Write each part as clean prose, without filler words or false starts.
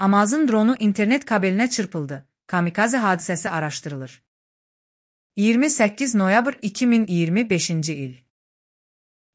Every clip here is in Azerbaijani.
Amazon dronu internet kabelinə çırpıldı. Kamikaze hadisəsi araşdırılır. 28 noyabr 2025-ci il.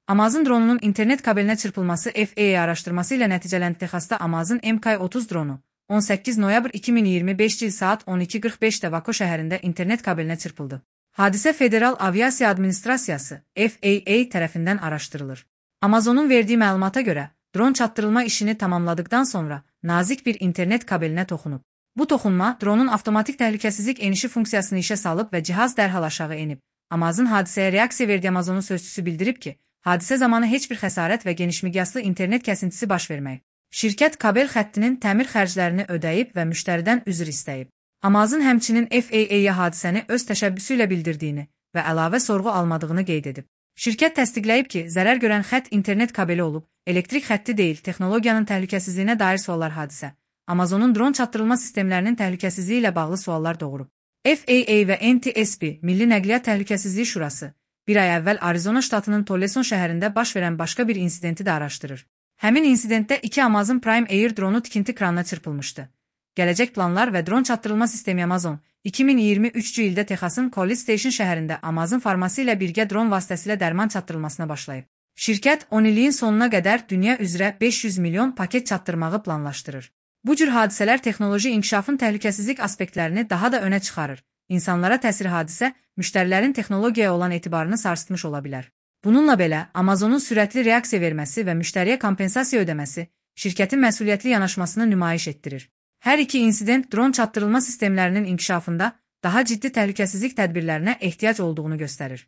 Amazon dronunun internet kabelinə çırpılması FAA araşdırması ilə nəticələndi. Texasda Amazon MK-30 dronu 18 noyabr 2025 il saat 12:45-də Vako şəhərində internet kabelinə çırpıldı. Hadisə Federal Aviasiya Administrasiyası FAA tərəfindən araşdırılır. Amazonun verdiyi məlumata görə, dron çatdırılma işini tamamladıktan sonra nazik bir internet kabelinə toxunub. Bu toxunma dronun avtomatik təhlükəsizlik enişi funksiyasını işə salıb və cihaz dərhal aşağı enib. Amazon hadisəyə reaksiya verdi. Amazonun sözçüsü bildirib ki, hadisə zamanı heç bir xəsarət və genişmiqyaslı internet kəsintisi baş verməyib. Şirkət kabel xəttinin təmir xərclərini ödəyib və müştəridən üzr istəyib. Amazon həmçinin FAA-ya hadisəni öz təşəbbüsü ilə bildirdiyini və əlavə sorğu almadığını qeyd edib. Şirkət təsdiqləyib ki, zərər görən xətt internet kabeli olub, elektrik xətti deyil. Texnologiyanın təhlükəsizliyinə dair suallar hadisə Amazonun dron çatdırılma sistemlərinin təhlükəsizliyi ilə bağlı suallar doğurub. FAA və NTSB, Milli Nəqliyyat Təhlükəsizliyi Şurası, bir ay əvvəl Arizona ştatının Tucson şəhərində baş verən başqa bir insidenti də araşdırır. Həmin insidentdə 2 Amazon Prime Air dronu tikinti kranına çırpılmışdı. Gələcək planlar və dron çatdırılma sistemi Amazon 2023-cü ildə Texasın College Station şəhərində Amazon farması ilə birgə dron vasitəsilə dərman çatdırılmasına başlayıb. Şirkət 10 illiyin sonuna qədər dünya üzrə 500 milyon paket çatdırmağı planlaşdırır. Bu cür hadisələr texnoloji inkişafın təhlükəsizlik aspektlərini daha da önə çıxarır. İnsanlara təsir hadisə, müştərilərin texnologiyaya olan etibarını sarsıtmış ola bilər. Bununla belə, Amazonun sürətli reaksiya verməsi və müştəriyə kompensasiya ödəməsi şirkətin məsuliyyətli yanaşmasını nümayiş etdirir. Hər iki insident dron çatdırılma sistemlərinin inkişafında daha ciddi təhlükəsizlik tədbirlərinə ehtiyac olduğunu göstərir.